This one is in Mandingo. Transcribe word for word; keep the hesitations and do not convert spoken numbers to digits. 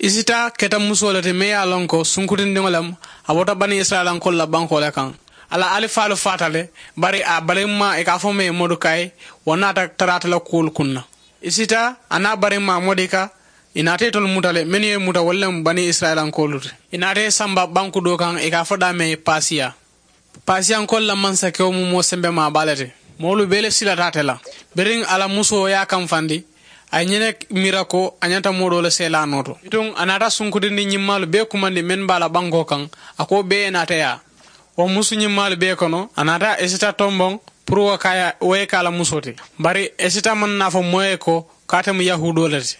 Isita keta musoo le ti meŋ ye a loŋ ko sunkutindiŋo lemu. A bota bani isirayilankoolu la bankoo le kaŋ. A la alifaalu faata le. Bari a barimmaa i ka a fo meŋ ye modukayi, wo naata taraata la kuwolu kunna. Isita a naa barimmaa modika, i naata itolu muta le mennu ye muta wolu lemu bani isirayilankoolu ti. I naata i samba banku doo kaŋ i ka a fo daameŋ ye paasiya. Paasiyankoolu la mansakewo mu moo sembemaa baa le ti. Moolu bee le silata ate la. Biriŋ a la musoo ye a kamfandi, a ye ñene miira ko a ñanta moo doo le seelaanoo to. Bituŋ a naata sunkutindi ñimmaalu bee kumandi meŋ be a la bankoo kaŋ, a ko wo bee ye naata yaa. Wo musu ñimmaalu bee kono a naata esita tomboŋ, puru wo ka a ye wo ye ka a la musoo ti. Bari esita maŋ naa fo moo ye ko ko ate mu yahuudoo le ti.